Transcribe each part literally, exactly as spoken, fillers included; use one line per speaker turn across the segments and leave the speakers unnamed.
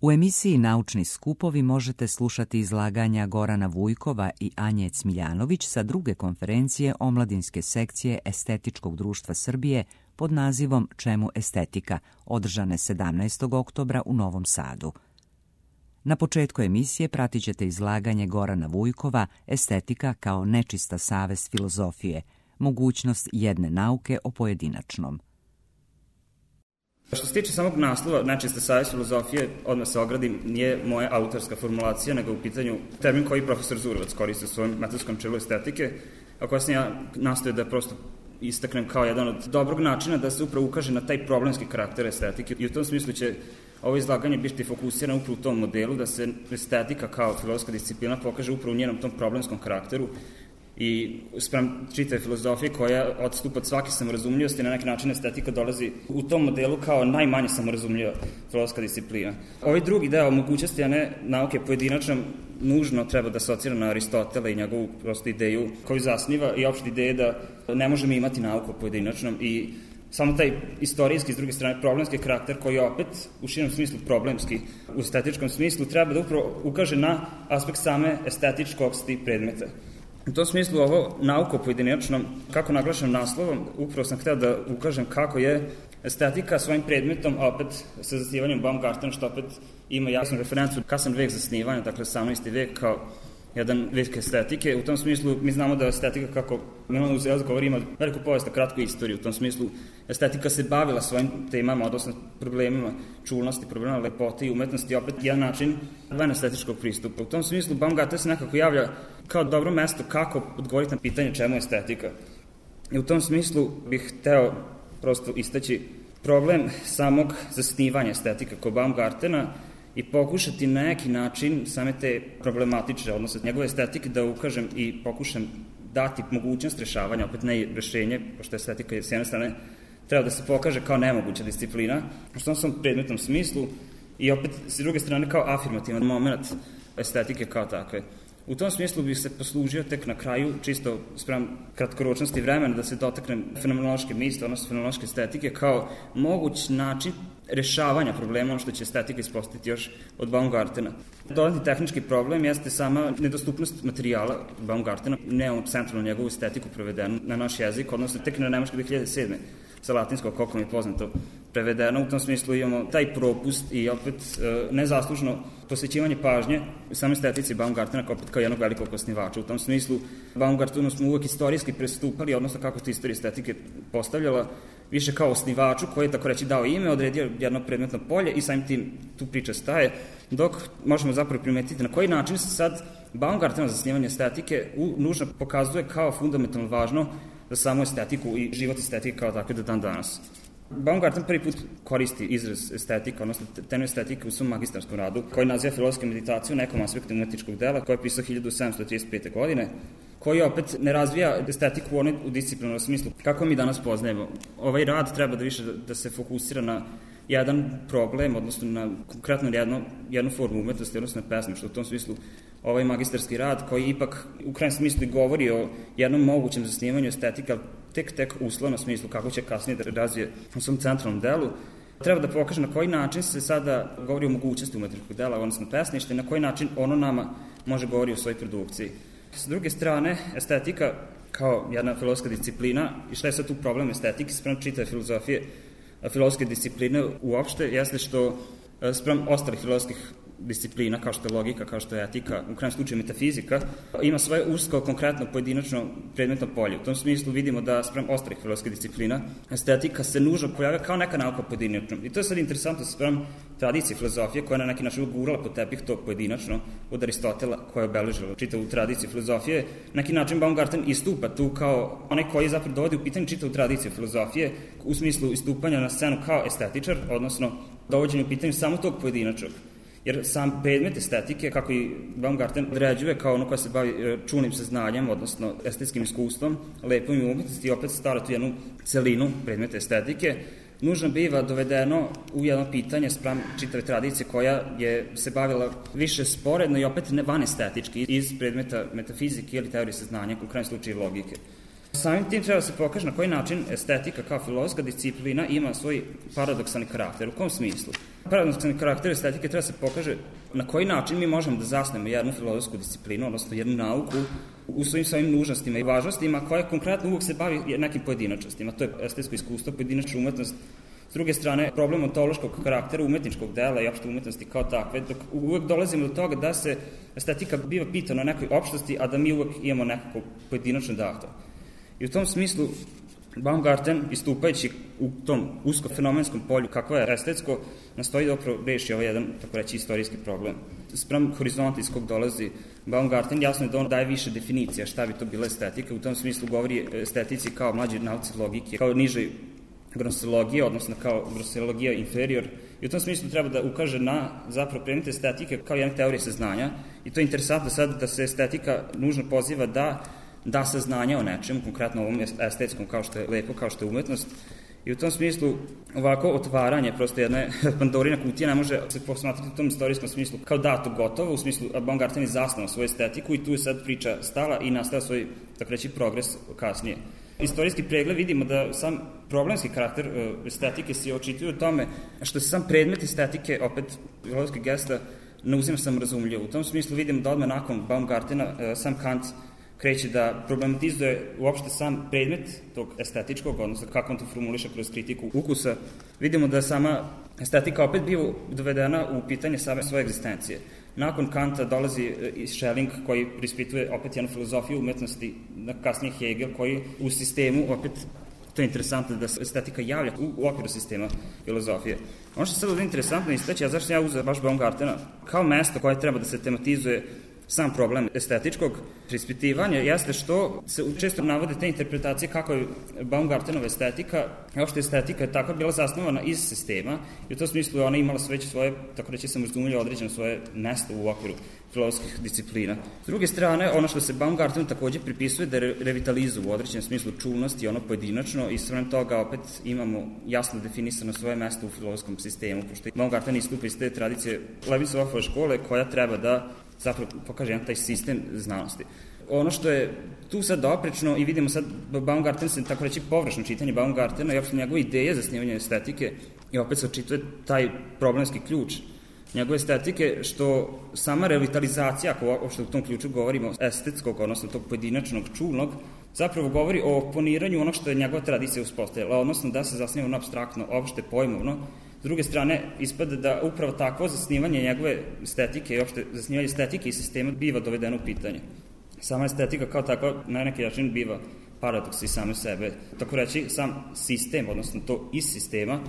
U emisiji Naučni skupovi možete slušati izlaganja Gorana Vujkova i Anje Cmiljanović sa druge konferencije omladinske sekcije Estetičkog društva Srbije pod nazivom Čemu estetika, održane sedamnaestog oktobra u Novom Sadu. Na početku emisije pratit ćete izlaganje Gorana Vujkova Estetika kao nečista savest filozofije, mogućnost jedne nauke o pojedinačnom.
Što se tiče samog naslova nečista savest filozofije, odmah se ogradim, nije moja autorska formulacija, nego u pitanju termin koji profesor Zurovac koristi u svojom metodskom čelu estetike, a koja sam ja nastojao da prosto istaknem kao jedan od dobrog načina da se upravo ukaže na taj problemski karakter estetike. I u tom smislu će ovo izlaganje biti fokusirano upravo u tom modelu, da se estetika kao filozofska disciplina pokaže upravo u njenom tom problemskom karakteru i sprem čitave filozofije koja odstupa od svake samorazumljivosti, na neki način estetika dolazi u tom modelu kao najmanje samorazumljiva filozofska disciplina. Ovaj drugi deo mogućnosti, a ne nauke pojedinačnom, nužno treba da asocira na Aristotela i njegovu prosto ideju koju zasniva i opšte ideje da ne možemo imati nauku o pojedinačnom i samo taj istorijski, s druge strane, problemski karakter koji je opet u širnom smislu problemski, u estetičkom smislu, treba da upravo ukaže na aspekt same estetičkosti predmeta. U tom smislu ovo nauko pojedinačnom, kako naglašam naslovom, upravo sam hteo da ukažem kako je estetika svojim predmetom, a opet sa zasnivanjem Baumgartena, što opet ima jasnu referencu kasan vek zasnivanja, dakle osamnaesti vek kao jedan vek estetike. U tom smislu mi znamo da estetika, kako Milan Uzielac govori, ima veliku povijest, kratku istoriju. U tom smislu estetika se bavila svojim temama, odnosno problemima čulnosti, problemima lepote i umetnosti, opet jedan način van estetičkog pristupa. U tom smislu Baumgarten se nekako javlja kao dobro mesto kako odgovoriti na pitanje čemu je estetika. I u tom smislu bih hteo prosto istaći problem samog zasnivanja estetika kod Baumgartena i pokušati na neki način same te problematične, odnosno njegove estetike, da ukažem i pokušam dati mogućnost rešavanja, opet ne i rešenje, pošto estetika je s jedne strane treba da se pokaže kao nemoguća disciplina, u tom sam predmetnom smislu i opet s druge strane kao afirmativan moment estetike kao takve. U tom smislu bih se poslužio tek na kraju, čisto sprem kratkoročnosti vremena, da se dotaknem fenomenološke misli, odnosno fenomenološke estetike, kao moguć način rešavanja problema, ono što će estetika ispostaviti još od Baumgartena. Dodatni tehnički problem jeste sama nedostupnost materijala Baumgartena, nemamo centralno njegovu estetiku prevedenu na naš jezik, odnosno tek na nemački dve hiljade sedme sa latinskog, koliko mi je poznato, prevedeno. U tom smislu imamo taj propust i opet nezaslužno posvećivanje pažnje u samoj estetici Baumgartena kao, kao jednog velikog osnivača. U tom smislu Baumgartenu smo uvek istorijski pristupali, odnosno kako se istorija estetike postavljala, više kao osnivaču koji je tako reći dao ime, odredio jedno predmetno polje i samim tim tu priča staje, dok možemo zapravo primetiti na koji način se sad Baumgarteno zasnivanje estetike u, nužno pokazuje kao fundamentalno važno za samu estetiku i život estetike kao takve do dan danas. Baumgarten prvi put koristi izraz estetika, odnosno temu estetike u svom magistarskom radu, koji naziva filozofsku meditaciju u nekom aspektu umetničkog dela, koji je pisao hiljadu sedamsto trideset pete. godine, koji opet ne razvija estetiku u onoj u disciplinarnom smislu. Kako mi danas poznajemo? Ovaj rad treba da više da, da se fokusira na jedan problem, odnosno na konkretno jedno, jednu formu umetnosti, odnosno na pesmu, što u tom smislu ovaj magistarski rad, koji ipak u krajem smislu govori o jednom mogućem zasnivanju estetika, tek tek uslovno smislu, kako će kasnije da razvije u svom centralnom delu, treba da pokaže na koji način se sada govori o mogućnosti umetničkog dela, odnosno pesništva, i na koji način ono nama može govori o svojoj produkciji. S druge strane, estetika kao jedna filozofska disciplina, i šta je sad tu problem estetike, sprem čitave filozofije, filozofske discipline uopšte, jeste što sprem ostalih filozofskih disciplina, kao što je logika, kao što je etika, u krajem slučaju metafizika, ima svoje usko, konkretno, pojedinačno predmetno polje. U tom smislu vidimo da sprem ostalih filozofskih disciplina estetika se nužno pojavlja kao neka nauka pojedinačno. I to je sad interesantno sprem tradicije filozofije, koja je na neki način ugurala po tepih to pojedinačno od Aristotela, koja je obeležila čitavu tradiciju filozofije. Na neki način Baumgarten istupa tu kao onaj koji zapravo dovodi u pitanje čitavu tradiciju filozofije u smislu istupanja na scenu kao estetičar, odnosno dovođenje u pitanju samo tog pojedinačnog. Jer sam predmet estetike, kako i Baumgarten određuje kao ono koja se bavi čulnim saznanjem, odnosno estetskim iskustvom, lepom i umetnosti, i opet stara tu jednu celinu predmeta estetike, nužno biva dovedeno u jedno pitanje spram čitave tradicije koja je se bavila više sporedno i opet ne van estetički iz predmeta metafizike ili teorije saznanja, u krajem slučaju logike. Samim tim treba da se pokaže na koji način estetika kao filozofska disciplina ima svoj paradoksalni karakter. U kom smislu? Paradoksalni karakter estetike treba da se pokaže na koji način mi možemo da zasnemo jednu filozofsku disciplinu, odnosno jednu nauku u svojim svojim nužnostima i važnostima koja konkretno uvek se bavi nekim pojedinačnostima. To je estetsko iskustvo, pojedinačna umetnost. S druge strane, problem ontološkog karaktera, umetničkog dela i opšte umetnosti kao takve, dok uvek dolazimo do toga da se estetika biva pitana o nekoj opštosti, a da mi uvek imamo nekako pojedinačno dato. I u tom smislu Baumgarten, istupajući u tom usko-fenomenskom polju kakvo je estetsko, nastoji da opravo reši ovaj jedan, tako reći, istorijski problem. Sprem horizonta iz kog dolazi Baumgarten, jasno je da on daje više definicija šta bi to bila estetika. U tom smislu govori estetici kao mlađe nauci logike, kao nižoj gnoseologije, odnosno kao gnoseologija inferior. I u tom smislu treba da ukaže na zapravo predmet estetike kao jedna teorija saznanja. I to je interesantno sad da se estetika nužno poziva da da saznanja o nečemu, konkretno ovom estetskom kao što je lepo, kao što je umetnost. I u tom smislu ovako otvaranje prosto jedne Pandorina kutija ne može se posmatrati u tom istorijskom smislu kao dato gotovo, u smislu Baumgarten je zasnovao svoju estetiku i tu je sad priča stala i nastao svoj, tako reći, progres kasnije. Istorijski pregled vidimo da sam problemski karakter estetike se očituje u tome što se sam predmet estetike, opet filozofski gesta, ne uzima samorazumljivo. U tom smislu vidimo da odmah nakon Baumgartena sam Kant kreće da problematizuje uopšte sam predmet tog estetičkog, odnosno kako on to formuliše kroz kritiku ukusa. Vidimo da sama estetika opet biva dovedena u pitanje same svoje egzistencije. Nakon Kanta dolazi i Schelling koji prispituje opet jednu filozofiju umetnosti, kasnije Hegel koji u sistemu opet, to je interesantno da se estetika javlja u, u okviru sistema filozofije. Ono što je sad ovdje interesantno istaći, a zašto sam ja uzeo baš Baumgartena kao mesto koje treba da se tematizuje sam problem estetičkog prispitivanja jeste što se često navode te interpretacije kako je Baumgartenova estetika, kao što je estetika tako bila zasnovana iz sistema i u tom smislu je ona imala već svoje, tako reći sam razumljivo, određeno svoje mesto u okviru filozofskih disciplina. S druge strane, ono što se Baumgartenu takođe pripisuje da je revitalizu u određenom smislu čulnosti, ono pojedinačno i svem toga opet imamo jasno definisano svoje mesto u filozofskom sistemu, pošto Baumgarten istupa iz te tradicije Leibnizove škole koja treba da zapravo pokaže jedan taj sistem znanosti. Ono što je tu sad oprečno i vidimo sad Baumgarten se tako reći površno čitanje Baumgartena i opšte njegove ideje za snimanje estetike i opet se očituje taj problemski ključ njegove estetike što sama revitalizacija, ako uopšte u tom ključu govorimo estetskog, odnosno tog pojedinačnog čulnog, zapravo govori o oponiranju onog što je njegova tradicija uspostavila, odnosno da se zasniva na apstraktno, opšte pojmovno. S druge strane, ispada da upravo takvo zasnivanje njegove estetike i opšte zasnivanje estetike i sistema biva dovedeno u pitanje. Sama estetika kao takva na neki način biva paradoks i same sebe. Tako reći, sam sistem, odnosno to iz sistema,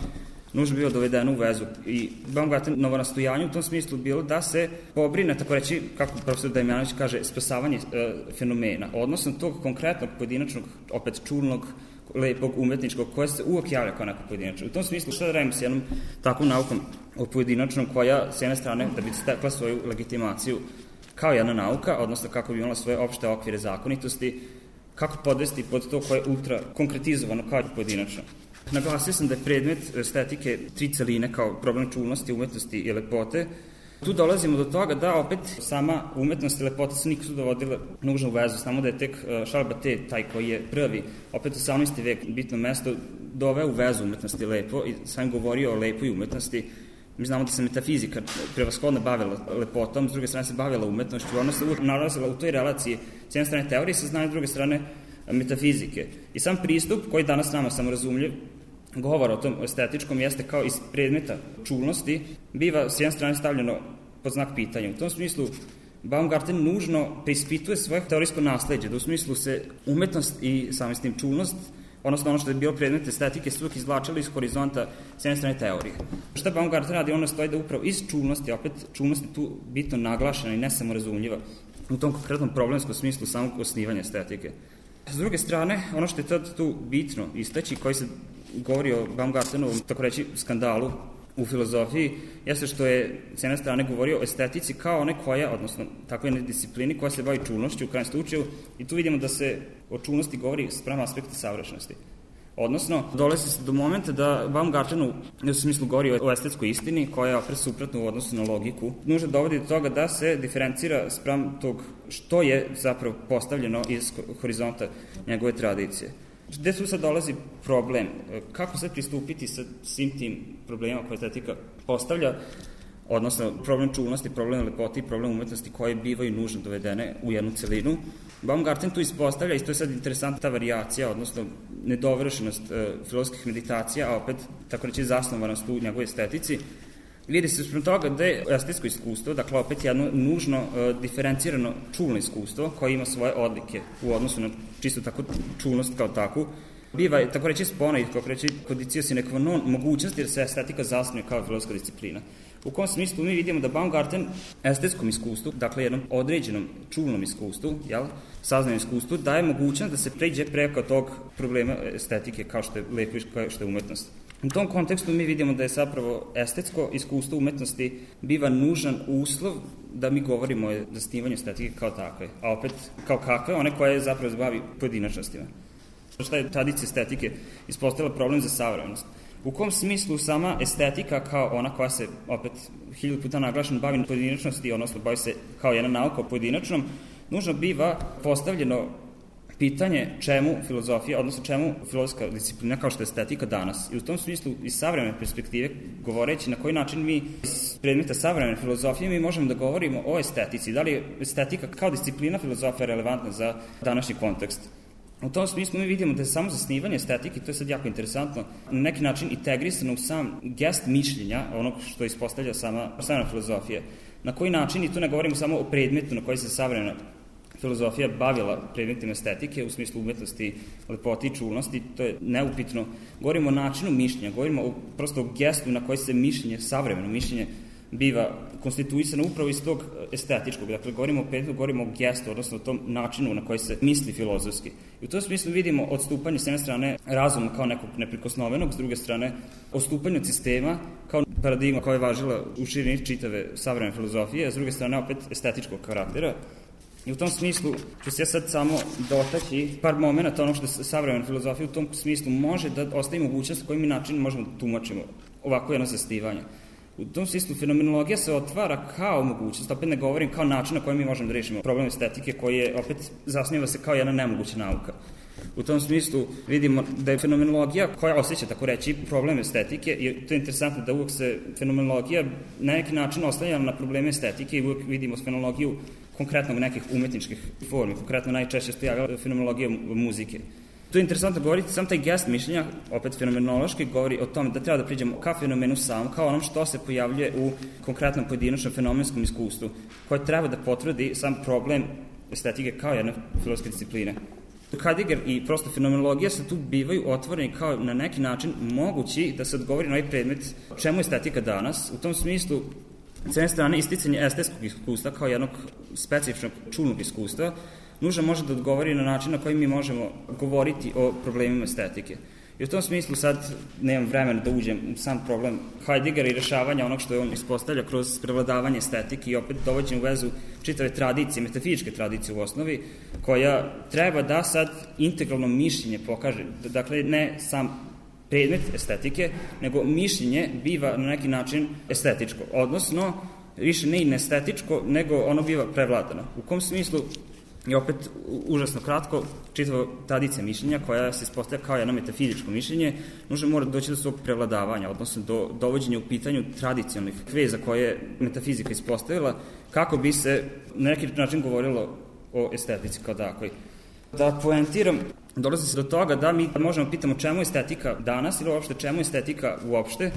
nužno bilo dovedeno u vezu. I Baumgarten novo nastojanje u tom smislu bilo da se pobrine, tako reći, kako profesor Damjanović kaže, spasavanje e, fenomena, odnosno tog konkretnog pojedinačnog, opet čulnog, lepog, umetničkog, koja se uvijek javlja kao neko pojedinačno. U tom smislu šta da radimo s jednom takvom naukom o pojedinačnom koja s jedne strane da bi stekla svoju legitimaciju kao jedna nauka, odnosno kako bi imala svoje opšte okvire zakonitosti, kako podvesti pod to koje je ultra konkretizovano kao pojedinačno. Naglasio sam da je predmet estetike tri celine kao problem čulnosti, umetnosti i lepote. Tu dolazimo do toga da opet sama umetnost i lepota se nisu dovodile nužno u vezu, samo da je tek Charles Batet, taj koji je prvi, opet osamnaesti vek, bitno mesto, doveo u vezu umetnosti lepo i sam govorio o lepoj umetnosti. Mi znamo da se metafizika prevashodno bavila lepotom, s druge strane se bavila umetnošću, ona se uvijek nalazila u toj relaciji s jedne strane teorije saznanja, s druge strane metafizike. I sam pristup, koji danas nama samorazumljiv, govora o tom estetičkom jeste kao iz predmeta čulnosti, biva s jedne strane stavljeno pod znak pitanja. U tom smislu Baumgarten nužno preispituje svoje teorijsko nasleđe, da u smislu se umetnost i samim s tim čulnost, odnosno ono što je bilo predmet estetike, su uvijek izvlačili iz horizonta s jedne strane teorije. Šta Baumgarten radi? Ono stoji da upravo iz čulnosti, opet čulnost je tu bitno naglašena i ne samo razumljiva u tom konkretnom problemskom smislu samog osnivanja estetike. S druge strane, ono što je tad tu bitno istaći, koji se govori o Baumgartenovom, tako reći, skandalu u filozofiji, jeste što je s jedne strane govorio o estetici kao one koja, odnosno takve jedne disciplini koja se bavi čulnošću u krajem slučaju, i tu vidimo da se o čulnosti govori sprem aspekta savršenosti. Odnosno, dolazi se do momenta da Baumgartenu, u smislu govori o estetskoj istini, koja je opet suprotna u odnosu na logiku, nužno dovodi do toga da se diferencira spram tog što je zapravo postavljeno iz horizonta njegove tradicije. Gde tu sad dolazi problem? Kako sad pristupiti sa svim tim problemima koje estetika postavlja, odnosno problem čulnosti, problem lepoti i problem umetnosti koje bivaju nužno dovedene u jednu celinu. Baumgarten tu ispostavlja, i to je sad interesantna ta varijacija, odnosno nedovršenost e, filozofskih meditacija, a opet, tako reći, zasnovanost u njegovoj estetici. Vidi se sprem toga da je estetsko iskustvo, dakle opet jedno nužno e, diferencirano čulno iskustvo koje ima svoje odlike u odnosu na čisto tako čulnost kao takvu, biva, tako reći, spona i, kako reći, kondicio sine qua non mogućnosti da se estetika zasnuje kao filozofska disciplina. U kom smislu mi vidimo da Baumgarten estetskom iskustvu, dakle jednom određenom čulnom iskustvu, jel, saznanom iskustvu, daje mogućnost da se pređe preko tog problema estetike kao što je lepo i kao što je umetnost. U tom kontekstu mi vidimo da je zapravo estetsko iskustvo umetnosti biva nužan uslov da mi govorimo o zasnivanju estetike kao takve, a opet kao kakve, one koje zapravo zbavi pojedinačnostima. Šta je tradicija estetike ispostavila problem za savremenost? U kom smislu sama estetika kao ona koja se, opet, hiljadu puta naglašeno bavi pojedinačnosti, odnosno bavi se kao jedna nauka o pojedinačnom, nužno biva postavljeno pitanje čemu filozofija, odnosno čemu filozofska disciplina kao što je estetika danas. I u tom smislu, iz savremene perspektive, govoreći na koji način mi iz predmeta savremene filozofije mi možemo da govorimo o estetici. Da li je estetika kao disciplina filozofija relevantna za današnji kontekst? U tom smislu mi vidimo da je samo zasnivanje estetike, to je sad jako interesantno, na neki način integrisano u sam gest mišljenja, onog što ispostavlja sama savremena filozofija. Na koji način, i tu ne govorimo samo o predmetu na koji se savremena filozofija bavila predmetima estetike, u smislu umetnosti, lepoti i čulnosti, to je neupitno. Govorimo o načinu mišljenja, govorimo o, prosto o gestu na koji se mišljenje, savremeno mišljenje, biva konstituisano upravo iz tog estetičkog. Dakle, govorimo o predmetu, govorimo o gestu, odnosno o tom načinu na koji se misli filozofski. I u tom smislu vidimo odstupanje s jedne strane razuma kao nekog neprikosnovenog, s druge strane odstupanje od sistema kao paradigma koja je važila u širini čitave savremene filozofije, a s druge strane opet estetičkog karaktera. I u tom smislu ću se ja sad samo dotaći par momenta ono što savremena filozofija u tom smislu može da ostavi mogućnost kojim mi način možemo da tumačimo ovako jedno zasnivanje. U tom smislu fenomenologija se otvara kao mogućnost, opet ne govorim kao način na koji mi možemo da rešimo problem estetike koji je opet zasniva se kao jedna nemoguća nauka. U tom smislu vidimo da je fenomenologija koja osjeća, tako reći, problem estetike, i to je interesantno da uvek se fenomenologija na neki način oslanja na probleme estetike i uvek vidimo fenomenologiju konkretno nekih umetničkih formi, konkretno najčešće se javlja fenomenologija muzike. To je interesantno govoriti, sam taj gest mišljenja, opet fenomenološki, govori o tome da treba da priđemo ka fenomenu sam, kao onom što se pojavljuje u konkretnom pojedinačnom fenomenskom iskustvu, koje treba da potvrdi sam problem estetike kao jedne filozofske discipline. Heidegger i prosto fenomenologija se tu bivaju otvoreni kao na neki način mogući da se odgovori na ovaj predmet čemu je estetika danas. U tom smislu, s jedne strane, isticanje estetskog iskustva kao jednog specifičnog čulnog iskustva nužno može da odgovori na način na koji mi možemo govoriti o problemima estetike. I u tom smislu sad nemam vremena da uđem u sam problem Heideggera i rešavanja onog što je on ispostavlja kroz prevladavanje estetike i opet dovođenje u vezu čitave tradicije, metafizičke tradicije u osnovi, koja treba da sad integralno mišljenje pokaže, dakle ne sam predmet estetike, nego mišljenje biva na neki način estetičko, odnosno više ne i neestetičko, nego ono biva prevladano. U kom smislu i opet užasno kratko, čitava tradicija mišljenja koja se ispostavlja kao jedno metafizičko mišljenje, nužno mora doći do svog prevladavanja, odnosno do dovođenja u pitanju tradicionalnih veza koje je metafizika ispostavila, kako bi se na neki način govorilo o estetici kao takvoj. Da poentiram, dolazi se do toga da mi možemo pitamo čemu je estetika danas ili uopšte čemu je estetika uopšte.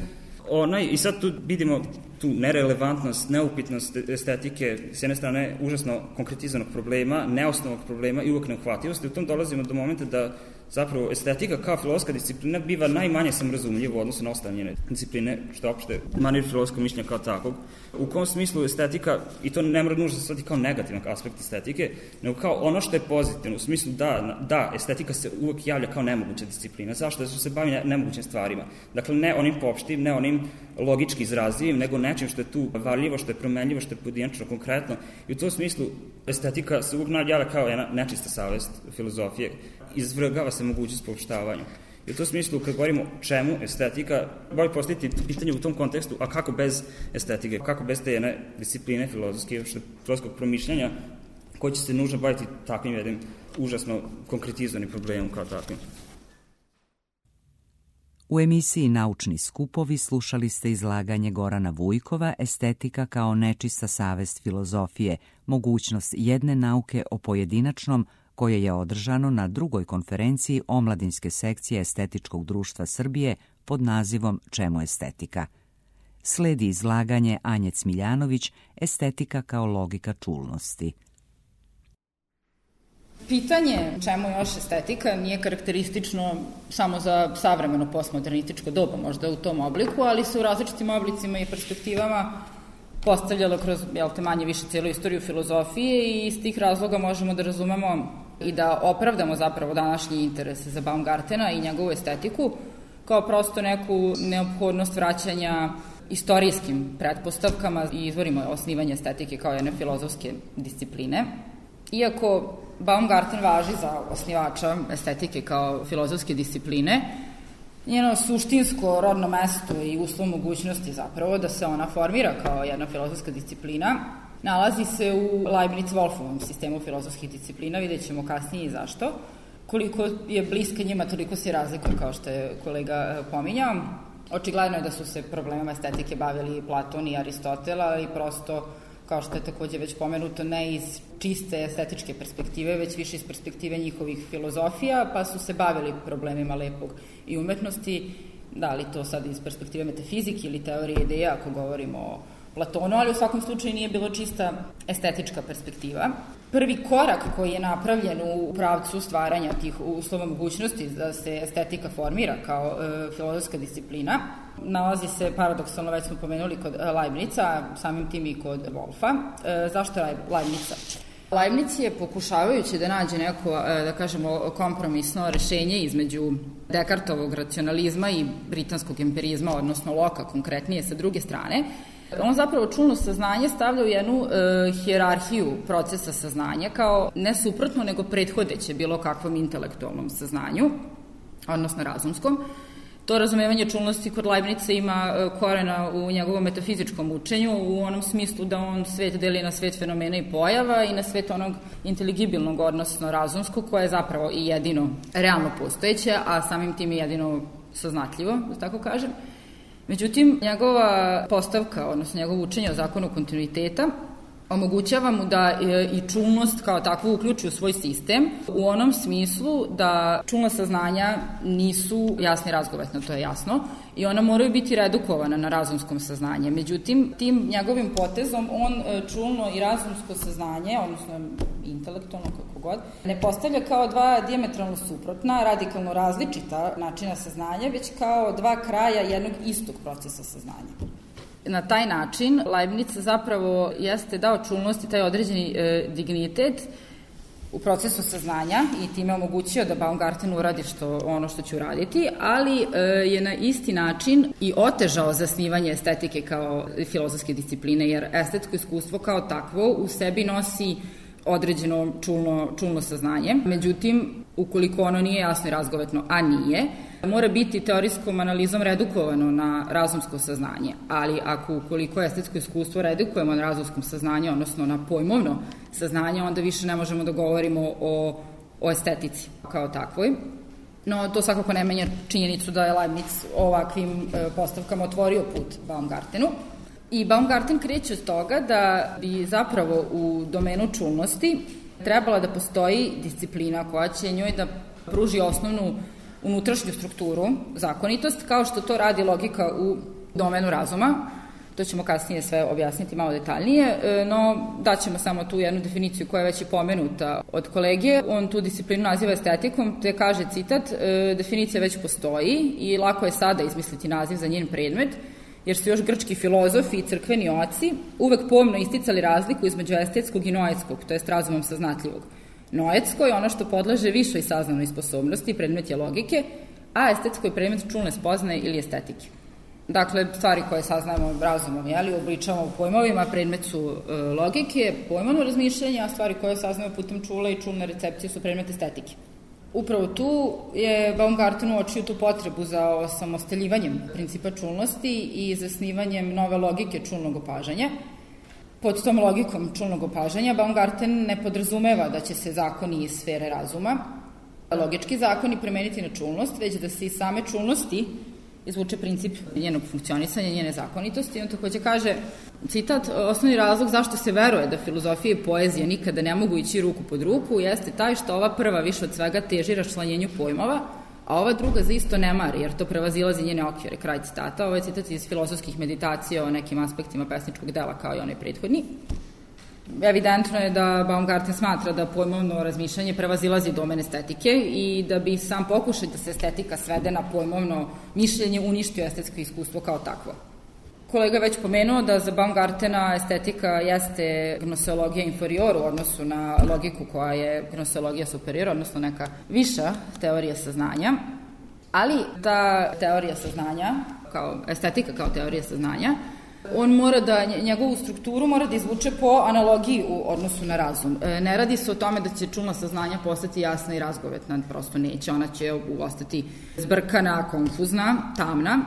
Onaj, i sad tu vidimo tu nerelevantnost, neupitnost estetike, s jedne strane užasno konkretizovanog problema, neosnovnog problema i uvek neuhvatljivosti. U tom dolazimo do momenta da zapravo estetika kao filozofska disciplina biva najmanje samrazumljiva u odnosu na ostale njene discipline, što je opšte manir filozofskog mišljenja kao takvog. U kom smislu estetika, i to ne mora nužno se kao negativan aspekt estetike, nego kao ono što je pozitivno, u smislu da, da estetika se uvek javlja kao nemoguća disciplina. Zašto? Zato što se bavi nemogućim stvarima. Dakle, ne onim popštim, ne onim logički izrazivim, nego nečim što je tu varljivo, što je promenljivo, što je pojedinačno, konkretno. I u tom smislu estetika se uvek javlja kao jedna nečista savest filozofije, izvrgava se mogućnost poopštavanja. I u tom smislu, kad govorimo čemu estetika, bolje postaviti pitanje u tom kontekstu, a kako bez estetike, kako bez te jedne discipline filozofske, filozofskog promišljanja, koji će se nužno baviti takvim jednim užasno konkretizovanim problemom kao takvim.
U emisiji Naučni skupovi slušali ste izlaganje Gorana Vujkova Estetika kao nečista savest filozofije, mogućnost jedne nauke o pojedinačnom, koje je održano na drugoj konferenciji Omladinske sekcije Estetičkog društva Srbije pod nazivom Čemu estetika. Sledi izlaganje Anje Cmiljanović Estetika kao logika čulnosti.
Pitanje čemu još estetika nije karakteristično samo za savremeno postmodernističko doba, možda u tom obliku, ali se u različitim oblicima i perspektivama postavljalo kroz, jel te, manje više cijelu istoriju filozofije i iz tih razloga možemo da razumemo i da opravdamo zapravo današnji interes za Baumgartena i njegovu estetiku kao prosto neku neophodnost vraćanja istorijskim pretpostavkama i izvorima osnivanja estetike kao jedne filozofske discipline. Iako Baumgarten važi za osnivača estetike kao filozofske discipline, njeno suštinsko rodno mesto i uslov mogućnosti zapravo da se ona formira kao jedna filozofska disciplina nalazi se u Leibniz-Wolfovom sistemu filozofskih disciplina, vidjet ćemo kasnije i zašto. Koliko je bliska njima, toliko se razlikuje, kao što je kolega pominjao. Očigledno je da su se problemama estetike bavili Platon i Aristotel, ali prosto, kao što je takođe već pomenuto, ne iz čiste estetičke perspektive, već više iz perspektive njihovih filozofija, pa su se bavili problemima lepog i umetnosti, da li to sad iz perspektive metafizike ili teorije ideja, ako govorimo o Platonu, ali u svakom slučaju nije bilo čista estetička perspektiva. Prvi korak koji je napravljen u pravcu stvaranja tih uslova mogućnosti da se estetika formira kao e, filozofska disciplina nalazi se, paradoksalno već smo pomenuli, kod Leibnica, samim tim i kod Wolfa. E, zašto Leibnica? Leibniz je, pokušavajući da nađe neko, da kažemo, kompromisno rešenje između Descartovog racionalizma i britanskog empirizma, odnosno Locka konkretnije sa druge strane, on zapravo čulno saznanje stavlja u jednu e, hijerarhiju procesa saznanja kao ne suprotno nego prethodeće bilo kakvom intelektualnom saznanju, odnosno razumskom. To razumevanje čulnosti kod Leibniza ima e, korena u njegovom metafizičkom učenju, u onom smislu da on svet deli na svet fenomena i pojava i na svet onog inteligibilnog, odnosno razumskog, koje je zapravo i jedino realno postojeće, a samim tim je jedino saznatljivo, da tako kažem. Međutim, njegova postavka, odnosno njegovo učenje o zakonu kontinuiteta, omogućava mu da i čulnost kao takvu uključi u svoj sistem, u onom smislu da čulna saznanja nisu jasni razgovetno, to je jasno, i ona moraju biti redukovana na razumskom saznanje. Međutim, tim njegovim potezom on čulno i razumsko saznanje, odnosno intelektualno, kako god, ne postavlja kao dva dijametralno suprotna, radikalno različita načina saznanja, već kao dva kraja jednog istog procesa saznanja. Na taj način Leibniz zapravo jeste dao čulnosti taj određeni e, dignitet u procesu saznanja i time omogućio da Baumgarten uradi što, ono što će uraditi, ali e, je na isti način i otežao zasnivanje estetike kao filozofske discipline, jer estetsko iskustvo kao takvo u sebi nosi određeno čulno, čulno saznanje. Međutim, ukoliko ono nije jasno i razgovetno, a nije, mora biti teorijskom analizom redukovano na razumsko saznanje. Ali ako ukoliko estetsko iskustvo redukujemo na razumskom saznanju, odnosno na pojmovno saznanje, onda više ne možemo da govorimo o, o estetici kao takvoj. No, to svakako ne menja činjenicu da je Leibniz ovakvim e, postavkama otvorio put Baumgartenu. I Baumgarten kreće od toga da bi zapravo u domenu čulnosti trebala da postoji disciplina koja će njoj da pruži osnovnu unutrašnju strukturu, zakonitost, kao što to radi logika u domenu razuma. To ćemo kasnije sve objasniti malo detaljnije, no daćemo samo tu jednu definiciju koja je već i pomenuta od kolege. On tu disciplinu naziva estetikom, te kaže, citat, definicija već postoji i lako je sada izmisliti naziv za njen predmet, jer su još grčki filozofi i crkveni oci uvek pomno isticali razliku između estetskog i noetskog, to jest razumom saznatljivog. Noetsko je ono što podleže višoj saznanoj sposobnosti, predmet je logike, a estetsko je predmet čulne spoznaje ili estetike. Dakle, stvari koje saznajemo razumom, jeli, obličavamo u pojmovima, predmet su e, logike, pojmovno razmišljanje, a stvari koje saznajemo putem čula i čulne recepcije su predmet estetike. Upravo tu je Baumgarten uočio tu potrebu za osamostaljivanjem principa čulnosti i zasnivanjem nove logike čulnog opažanja. Pod tom logikom čulnog opažanja Baumgarten ne podrazumeva da će se zakoni iz sfere razuma, logički zakoni premeniti na čulnost, već da se iz same čulnosti izvuče princip njenog funkcionisanja, njene zakonitosti. On takođe kaže, citat, osnovni razlog zašto se veruje da filozofija i poezija nikada ne mogu ići ruku pod ruku jeste taj što ova prva više od svega teži raščlanjenju pojmova, a ova druga za isto ne mari, jer to prevazilazi njene okvire, kraj citata. Ovo je citat iz filozofskih meditacija o nekim aspektima pesničkog dela kao i onaj prethodni. Evidentno je da Baumgarten smatra da pojmovno razmišljanje prevazilazi domen estetike i da bi sam pokušaj da se estetika svede na pojmovno mišljenje uništio estetsko iskustvo kao takvo. Kolega već pomenuo da za Baumgartena estetika jeste gnoseologija inferior u odnosu na logiku koja je gnoseologija superior, odnosno neka viša teorija saznanja, ali ta teorija saznanja, kao estetika kao teorija saznanja, on mora da, njegovu strukturu mora da izvuče po analogiji u odnosu na razum. Ne radi se o tome da će čulna saznanja postati jasna i razgovetna, prosto neće, ona će ostati zbrkana, konfuzna, tamna.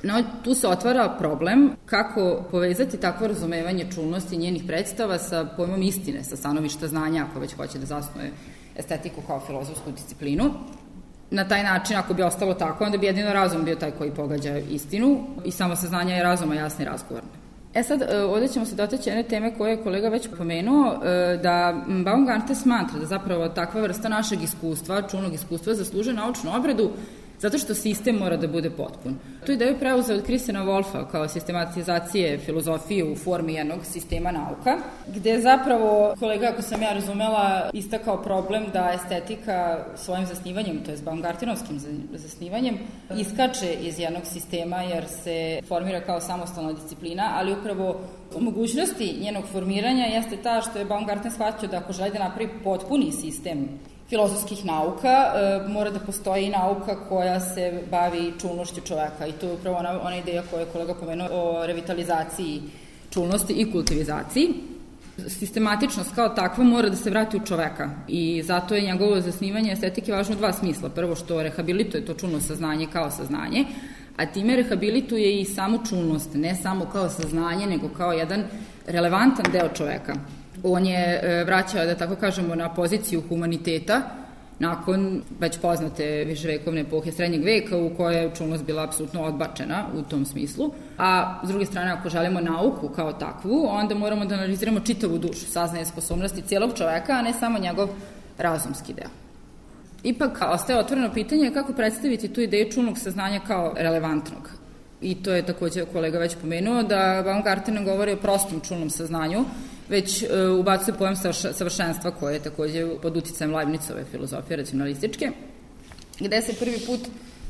No, tu se otvara problem kako povezati takvo razumevanje čulnosti njenih predstava sa pojmom istine, sa stanovišta znanja, ako već hoće da zasnuje estetiku kao filozofsku disciplinu. Na taj način, ako bi ostalo tako, onda bi jedino razum bio taj koji pogađa istinu i samo saznanje je razuma jasno i razgovorno. E sad, ovdje ćemo se dotaći jedne teme koje je kolega već pomenuo, da Baumgarten smatra da zapravo takva vrsta našeg iskustva, čulnog iskustva, zaslužuje naučnu obradu zato što sistem mora da bude potpun. Tu ideju je preuzeo od Christiana Wolffa kao sistematizacije filozofije u formi jednog sistema nauka, gde zapravo, kolega, ako sam ja razumela, istakao problem da estetika svojim zasnivanjem, to je Baumgartenovskim zasnivanjem, iskače iz jednog sistema jer se formira kao samostalna disciplina, ali upravo u mogućnosti njenog formiranja jeste ta što je Baumgarten shvatio da ako želi da napravi potpuni sistem filozofskih nauka, e, mora da postoji i nauka koja se bavi čulnošću čoveka i to je upravo ona, ona ideja koju je kolega pomenuo o revitalizaciji čulnosti i kultivizaciji. Sistematičnost kao takva mora da se vrati u čoveka i zato je njegovo zasnivanje estetike važno u dva smisla. Prvo što rehabilituje to čulno saznanje kao saznanje, a time rehabilituje i samu čulnost, ne samo kao saznanje, nego kao jedan relevantan deo čoveka. On je vraćao, da tako kažemo, na poziciju humaniteta nakon već poznate viševekovne epohe srednjeg veka u kojoj je čulnost bila apsolutno odbačena u tom smislu. A s druge strane, ako želimo nauku kao takvu, onda moramo da analiziramo čitavu dušu, saznaje sposobnosti cijelog čoveka, a ne samo njegov razumski deo. Ipak, ostaje otvoreno pitanje kako predstaviti tu ideju čulnog saznanja kao relevantnog. I to je takođe kolega već pomenuo, da Baumgarten ne govori o prostom čulnom saznanju, već e, ubacuje pojam savršenstva koje je takođe pod uticajem Leibnicove filozofije racionalističke, gde se prvi put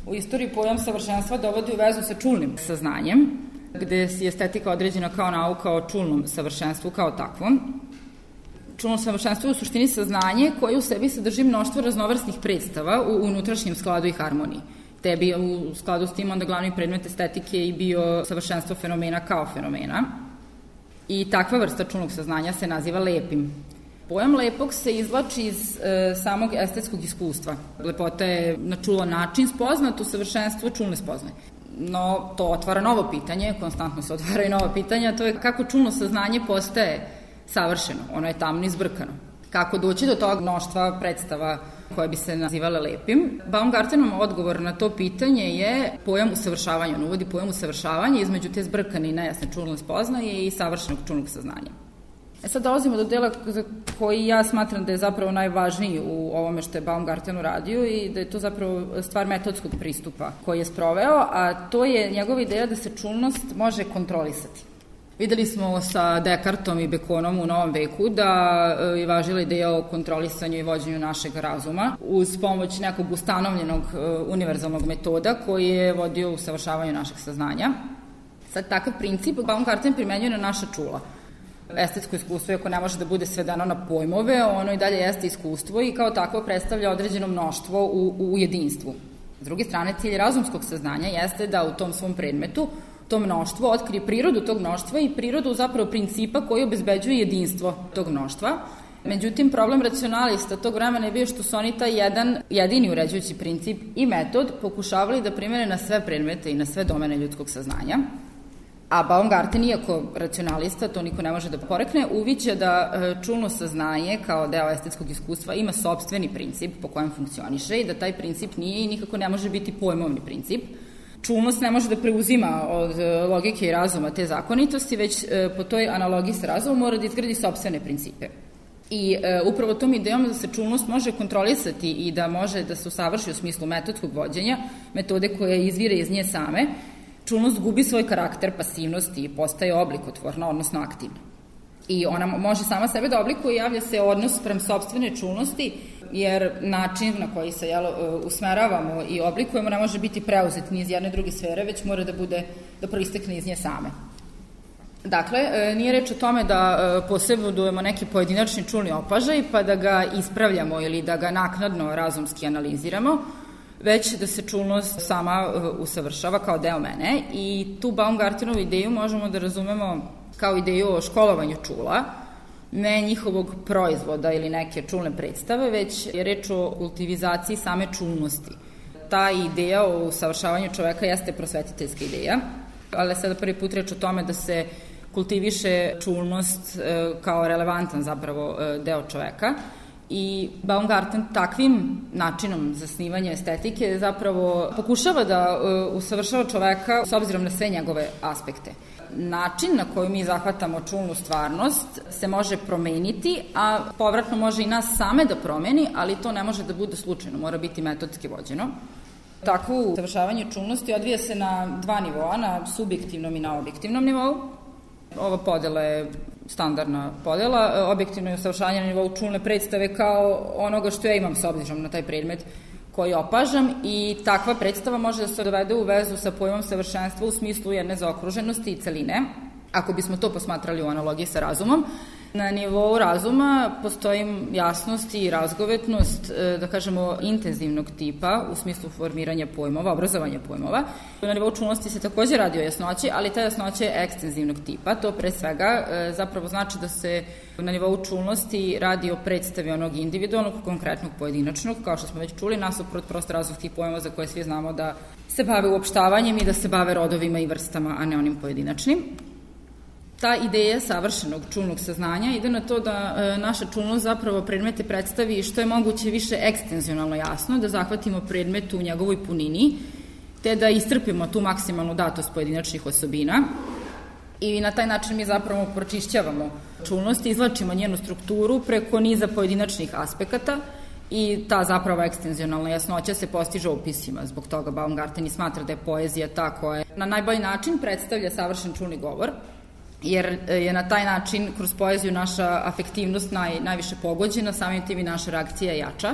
u istoriji pojam savršenstva dovodi u vezu sa čulnim saznanjem, gde je estetika određena kao nauka o čulnom savršenstvu kao takvom. Čulno savršenstvo je u suštini saznanje koje u sebi sadrži mnoštvo raznovrsnih predstava u unutrašnjem skladu i harmoniji. Te bi u skladu s tim onda glavni predmet estetike i bio savršenstvo fenomena kao fenomena. I takva vrsta čulnog saznanja se naziva lepim. Pojam lepog se izvlači iz e, samog estetskog iskustva. Lepota je na čulan način spoznat, u savršenstvu čulne spoznaje. No, to otvara novo pitanje, konstantno se otvaraju nova pitanja, to je kako čulno saznanje postaje savršeno, ono je tamno i zbrkano. Kako doći do tog mnoštva predstava koje bi se nazivale lepim? Baumgartenov odgovor na to pitanje je pojam usavršavanja. On uvodi pojam usavršavanja između te zbrkane i nejasne čulne spoznaje i savršenog čulnog saznanja. E sad dolazimo do dela za koji ja smatram da je zapravo najvažniji u ovome što je Baumgarten uradio i da je to zapravo stvar metodskog pristupa koji je sproveo, a to je njegova ideja da se čulnost može kontrolisati. Videli smo sa Descartom i Baconom u novom veku da je važila ideja o kontrolisanju i vođenju našeg razuma uz pomoć nekog ustanovljenog univerzalnog metoda koji je vodio u savršavanju našeg saznanja. Sad, takav princip Baumgarten primenjuje na naša čula. Estetsko iskustvo, ako ne može da bude svedeno na pojmove, ono i dalje jeste iskustvo i kao takvo predstavlja određeno mnoštvo u, u jedinstvu. S druge strane, cilj razumskog saznanja jeste da u tom svom predmetu to mnoštvo otkrije prirodu tog mnoštva i prirodu zapravo principa koji obezbeđuje jedinstvo tog mnoštva. Međutim, problem racionalista tog vremena je bio što su oni taj jedan jedini uređujući princip i metod pokušavali da primene na sve predmete i na sve domene ljudskog saznanja. A Baumgarten, iako racionalista, to niko ne može da porekne, uviđa da čulno saznanje kao deo estetskog iskustva ima sopstveni princip po kojem funkcioniše i da taj princip nije i nikako ne može biti pojmovni princip. Čulnost ne može da preuzima od logike i razuma te zakonitosti, već po toj analogiji sa razumom mora da izgradi sopstvene principe. I e, upravo tom idejom da se čulnost može kontrolisati i da može da se usavrši u smislu metodskog vođenja, metode koje izvire iz nje same, čulnost gubi svoj karakter pasivnosti i postaje oblikotvorna, odnosno aktivna. I ona može sama sebe da oblikuje i javlja se odnos prema sopstvene čulnosti, jer način na koji se jel, usmeravamo i oblikujemo ne može biti preuzet ni iz jedne druge sfere, već mora da bude, da proistekne iz nje same. Dakle, nije reč o tome da posebujemo neki pojedinačni čulni opažaj pa da ga ispravljamo ili da ga naknadno razumski analiziramo, već da se čulnost sama usavršava kao deo mene i tu Baumgartenovu ideju možemo da razumemo kao ideju o školovanju čula, ne njihovog proizvoda ili neke čulne predstave, već je reč o kultivizaciji same čulnosti. Ta ideja o usavršavanju čoveka jeste prosvetiteljska ideja, ali sada prvi put reč o tome da se kultiviše čulnost kao relevantan zapravo deo čoveka i Baumgarten takvim načinom zasnivanja estetike zapravo pokušava da usavršava čoveka s obzirom na sve njegove aspekte. Način na koji mi zahvatamo čulnu stvarnost se može promeniti, a povratno može i nas same da promeni, ali to ne može da bude slučajno, mora biti metodski vođeno. Takvo usavršavanje čulnosti odvija se na dva nivoa, na subjektivnom i na objektivnom nivou. Ova podela je standardna podela, objektivno je usavršavanje na nivou čulne predstave kao onoga što ja imam s obzirom na taj predmet koji opažam i takva predstava može da se dovede u vezu sa pojmom savršenstva u smislu jedne zaokruženosti i celine, ako bismo to posmatrali u analogiji sa razumom. Na nivou razuma postoji jasnost i razgovetnost, da kažemo, intenzivnog tipa u smislu formiranja pojmova, obrazovanja pojmova. Na nivou čulnosti se takođe radi o jasnoći, ali ta jasnoća je ekstenzivnog tipa. To pre svega zapravo znači da se na nivou čulnosti radi o predstavi onog individualnog, konkretnog, pojedinačnog, kao što smo već čuli, nasuprot prosto različitih pojmova za koje svi znamo da se bave uopštavanjem i da se bave rodovima i vrstama, a ne onim pojedinačnim. Ta ideja savršenog čulnog saznanja ide na to da e, naša čulnost zapravo predmete predstavi što je moguće više ekstenzionalno jasno, da zahvatimo predmet u njegovoj punini, te da istrpimo tu maksimalnu datost pojedinačnih osobina i na taj način mi zapravo pročišćavamo čulnost, izvlačimo njenu strukturu preko niza pojedinačnih aspekata i ta zapravo ekstenzionalna jasnoća se postiže opisima. Zbog toga Baumgarten i smatra da je poezija ta koja na najbolji način predstavlja savršen čulni govor, jer je na taj način kroz poeziju naša afektivnost naj, najviše pogođena, samim tim i naša reakcija jača.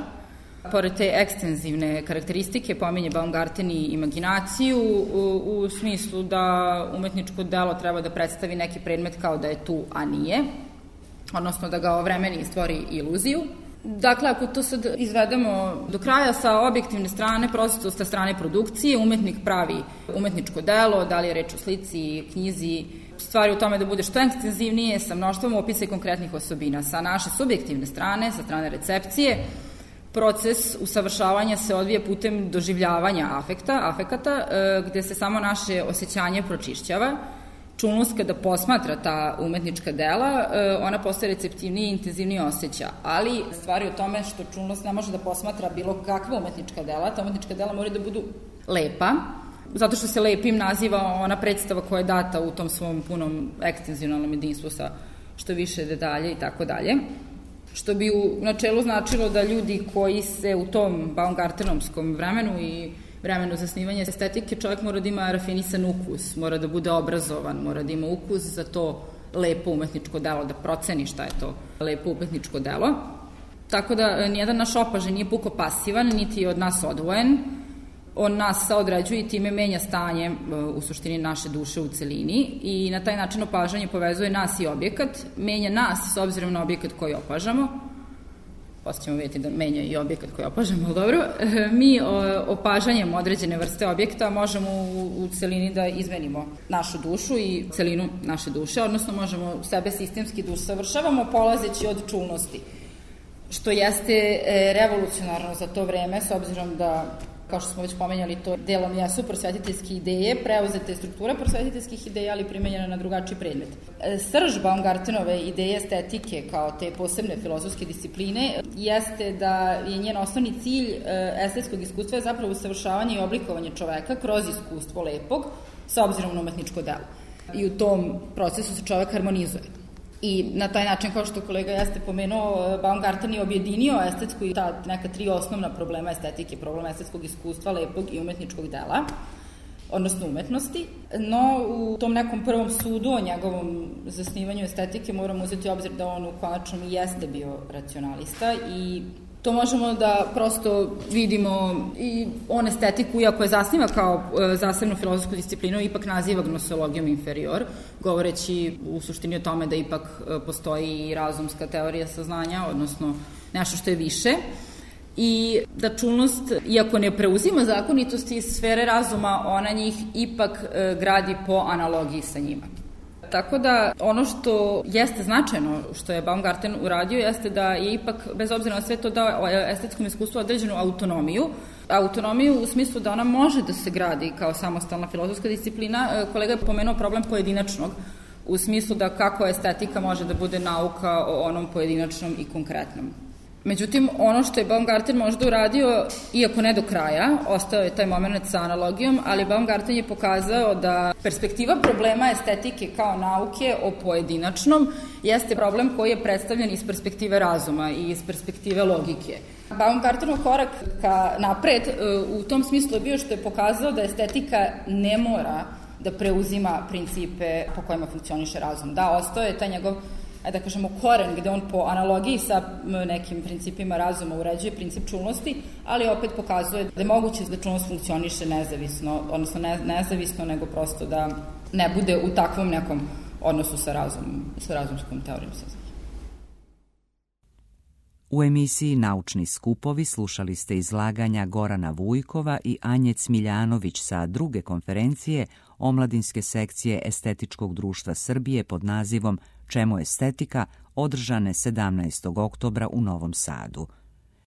Pored te ekstenzivne karakteristike pominje Baumgarten i imaginaciju u, u smislu da umetničko delo treba da predstavi neki predmet kao da je tu, a nije, odnosno da ga ovremeni i stvori iluziju. Dakle, ako to sad izvedemo do kraja sa objektivne strane, prosto sa strane produkcije, umetnik pravi umetničko delo, da li je reč o slici, knjizi, stvari u tome da bude što ekstenzivnije, sa mnoštvom opisa i konkretnih osobina. Sa naše subjektivne strane, sa strane recepcije, proces usavršavanja se odvija putem doživljavanja afekta, afekata, gde se samo naše osjećanje pročišćava. Čulnost kada posmatra ta umetnička dela, ona postaje receptivnije i intenzivnije osjeća, ali stvari u tome što čulnost ne može da posmatra bilo kakva umetnička dela, ta umetnička dela mora da budu lepa, zato što se lepim naziva ona predstava koja je data u tom svom punom ekstenzionalnom jedinstvu sa što više detalje i tako dalje. Što bi u načelu značilo da ljudi koji se u tom baumgartenovskom vremenu i vremenu zasnivanja estetike, čovjek mora da ima rafinisan ukus, mora da bude obrazovan, mora da ima ukus za to lepo umetničko delo, da proceni šta je to lepo umetničko delo. Tako da nijedan naš opažaj nije puko pasivan, niti je od nas odvojen. On nas saodređuje i time menja stanje u suštini naše duše u celini i na taj način opažanje povezuje nas i objekat, menja nas s obzirom na objekat koji opažamo. Posle ćemo vidjeti da menja i objekat koji opažamo, ali dobro. Mi opažanjem određene vrste objekta možemo u celini da izmenimo našu dušu i celinu naše duše, odnosno možemo sebe sistemski da usavršavamo polazeći od čulnosti. što jeste revolucionarno za to vreme, s obzirom da, kao što smo već pomenjali, to delom jesu prosvetiteljske ideje, preuzete strukture prosvetiteljskih ideja, ali primenjena na drugačiji predmet. Srž Baumgartenove ideje estetike kao te posebne filozofske discipline jeste da je njen osnovni cilj estetskog iskustva je zapravo usavršavanje i oblikovanje čoveka kroz iskustvo lepog sa obzirom na umetničko delo. I u tom procesu se čovek harmonizuje. I na taj način, kao što kolega jeste pomenuo, Baumgarten je objedinio estetsku i ta neka tri osnovna problema estetike, problem estetskog iskustva, lepog i umetničkog dela, odnosno umetnosti, no u tom nekom prvom sudu o njegovom zasnivanju estetike moramo uzeti obzir da on u konačnom i jeste bio racionalista i to možemo da prosto vidimo i on estetiku, iako je zasniva kao zasebnu filozofsku disciplinu, ipak naziva gnoseologijom inferior, govoreći u suštini o tome da ipak postoji i razumska teorija saznanja, odnosno nešto što je više. I da čulnost, iako ne preuzima zakonitosti iz sfere razuma, ona njih ipak gradi po analogiji sa njima. Tako da ono što jeste značajno što je Baumgarten uradio jeste da je ipak, bez obzira na sve to, dao estetskom iskustvu određenu autonomiju. Autonomiju u smislu da ona može da se gradi kao samostalna filozofska disciplina. Kolega je pomenuo problem pojedinačnog, u smislu da kako estetika može da bude nauka o onom pojedinačnom i konkretnom. Međutim, ono što je Baumgarten možda uradio, iako ne do kraja, ostao je taj moment sa analogijom, ali Baumgarten je pokazao da perspektiva problema estetike kao nauke o pojedinačnom jeste problem koji je predstavljen iz perspektive razuma i iz perspektive logike. Baumgartenov korak ka napred u tom smislu je bio što je pokazao da estetika ne mora da preuzima principe po kojima funkcioniše razum. Da, ostao je taj njegov, da kažemo, koren gde on po analogiji sa nekim principima razuma uređuje princip čulnosti, ali opet pokazuje da je moguće da čulnost funkcioniše nezavisno, odnosno ne, nezavisno, nego prosto da ne bude u takvom nekom odnosu sa, razum, sa razumskom teorijom saznanja.
U emisiji Naučni skupovi slušali ste izlaganja Gorana Vujkova i Anje Cmiljanović sa druge konferencije Omladinske sekcije Estetičkog društva Srbije pod nazivom Čemu estetika, održane sedamnaestog oktobra u Novom Sadu.